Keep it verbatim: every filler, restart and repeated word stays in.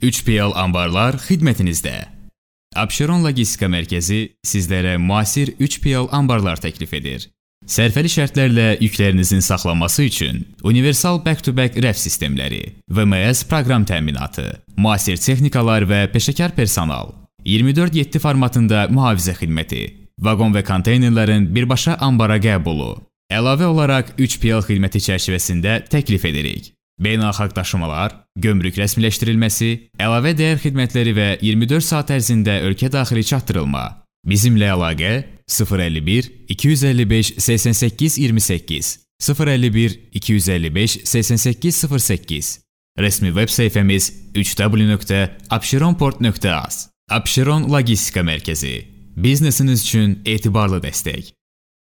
üç P L Ambarlar xidmətinizdə. Abşeron Logistika Mərkəzi sizlərə müasir üç P L ambarlar təklif edir. Sərfəli şərtlərlə yüklərinizin saxlanması üçün universal back-to-back rəf sistemləri, V M S proqram təminatı, müasir texnikalar və peşəkar personal, iyirmi dörd yeddi formatında mühafizə xidməti, vaqon və konteynerlərin birbaşa ambara qəbulu, əlavə olaraq üç P L xidməti çərçivəsində təklif edirik. Beynəlxalq daşımalar, gömrük rəsmiləşdirilməsi, əlavə dəyər xidmətləri və iyirmi dörd saat ərzində ölkə daxili çatdırılma. Bizimlə əlaqə sıfır əlli bir iki yüz əlli beş səksən səkkiz iyirmi səkkiz, sıfır əlli bir iki yüz əlli beş səksən səkkiz sıfır səkkiz. Rəsmi veb səhifəmiz üç w nöqtə abşeronport nöqtə az. Abşeron Logistika Mərkəzi. Biznesiniz üçün etibarlı dəstək.